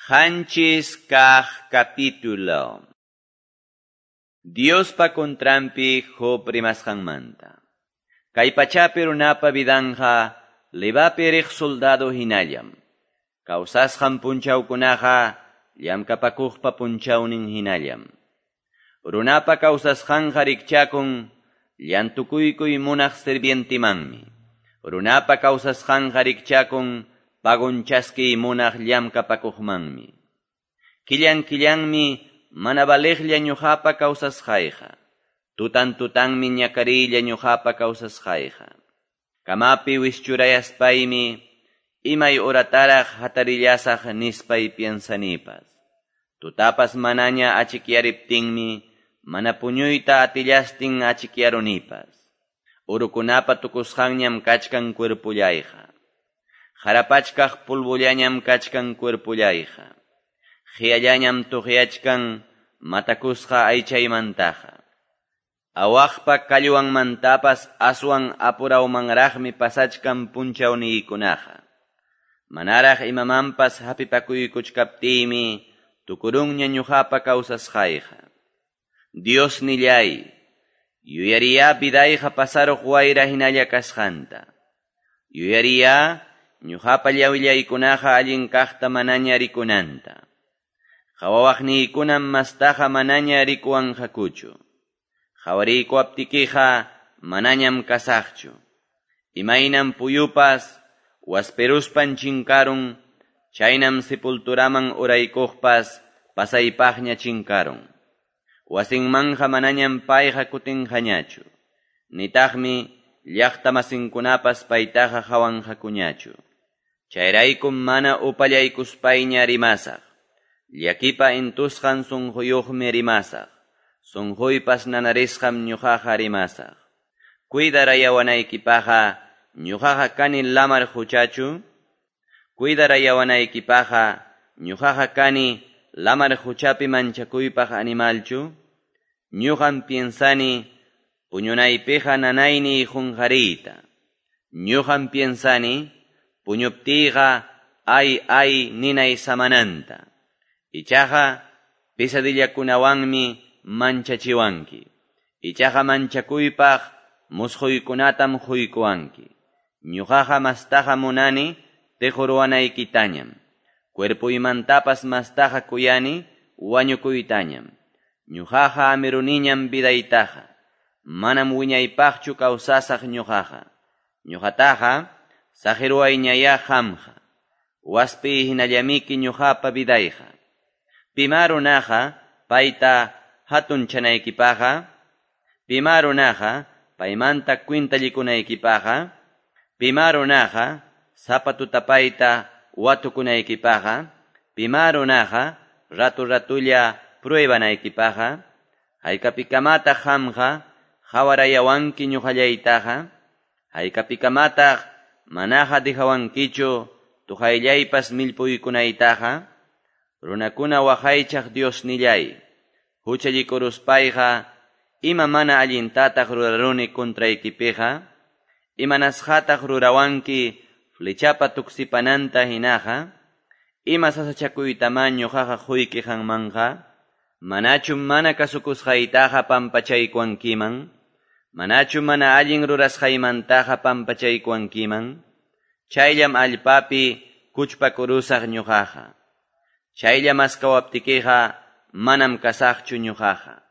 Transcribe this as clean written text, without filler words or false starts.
7 kaq capítulo. Diospa contranpi Job rimasqanmanta. Kay pachapi runapa vidanja levapi riq soldado hinallam. Kawsasqan punchawkunaqa llamkapakuqpa punchawnin hinallam. Runapa kawsasqanqa rikchakun llantukuykuy munaq sirvientimanmi. Runapa kawsasqanqa rikchakun pagon chaskiy munaq llamkapakuqmanmi. Killan killanmi mana valeqlla ñuqapa kawsasqayqa. Tutan tutanmi ñakariylla ñuqapa kawsasqayqa. Kamapi wischurayaspaymi imay horataraq hatarillasaq nispay piensanipas. Tutapas manaña achikyariptinmi mana puñuyta atillastin achikyarunipas. Urukunapa tukusqanñam kachkan cuerpullayqa. Harapachkaq polvollañam kachkan cuerpullayqa. Qiyallañam tuqyachkan matakusqa aychaymantaqa. Awaqpa kallwanmantapas aswan apurawmanraqmi pasachkan punchawniykunaqa. Manaraq imamanpas hapipakuykuchkaptiymi tukurunña ñuqapa kawsasqayqa. Dios nillay, yuyariya vidayqa pasaruq wayra hinalla kasqanta. Yuyariya ñuqapa llawillaykunaqa allin kaqta manaña rikunanta. Qhawawaqniykunam mastaqa manaña rikuwanqakuchu. Qhawariykuwaptikiqa manañam kasaqchu. Imaynam puyupas wasperuspan chinkarun, chaynam sepulturaman uraykuqpas pasaypaqña chinkarun. Wasinmanja manañam payqa kutinqañachu. Nitaqmi llaqtamasinkunapas paytaqa hawanqakuñachu. Chayraykum mana upallaykuspayña rimasaq. Llakipa intusqan sunquyuqmi rimasaq. Sunquypas nanarisqam ñuqaqa rimasaq. Cuidarayawanaykipaqqa ñuqaqa kani lamar quchachu? Cuidarayawanaykipaqqa ñuqaqa kani lamar quchapi manchakuypaq animalchu? Ñuqam piensani puñunaypiqa nanayniy qunqariyta. Ñuqam piensani puñuptiyqa ay ay ninay samananta. Ichaqa pesadillakunawanmi manchachiwanki. Ichaqa manchakuypaq musquykunatam quykuwanki. Ñuqaqa mastaqa munani tiquruwanaykitañam. Cuerpuymantapas mastaqa kuyani wañukuytañam. Ñuqaqa amiruniñam vidaytaqa. Manam wiñaypaqchu kawsasaq ñuqaqa. Ñuqataqa saqiruwayñayá qamqa. Waspi hinallamiki ñuqapa vidayqa. Pimá runaqa payta hatunchanaykipaqqa, pimá runaqa paymanta kwintallikunaykipaqqa, pimá runaqa sapa tutapayta watukunaykipaqqa, pimá runaqa ratu ratulla pruebanaykipaqqa, haykapikamataq qamqa qhawarayawanki ñuqallaytaqa, haykapikamataq manaqa dejawankichu tuqayllaypas millpuykunaytaqa, runakuna waqaychaq Diosnillay, huchallikuruspayqa ima mana allintataq ruraruni contraykipiqa, imanasqataq rurawanki flechapa tuksipananta hinaqa, ima sasachakuytamá ñuqaqa quyki qanmanqa, manachu mana kasukusqaytaqa pampachaykuwankiman, manachu mana allin rurasqaymantaqa pampachaykuwankiman, chayllam allpapi kuchpakurusaq ñuqaqa. Chaylla maskawaptikiqa manam kasaqchu ñuqaqa.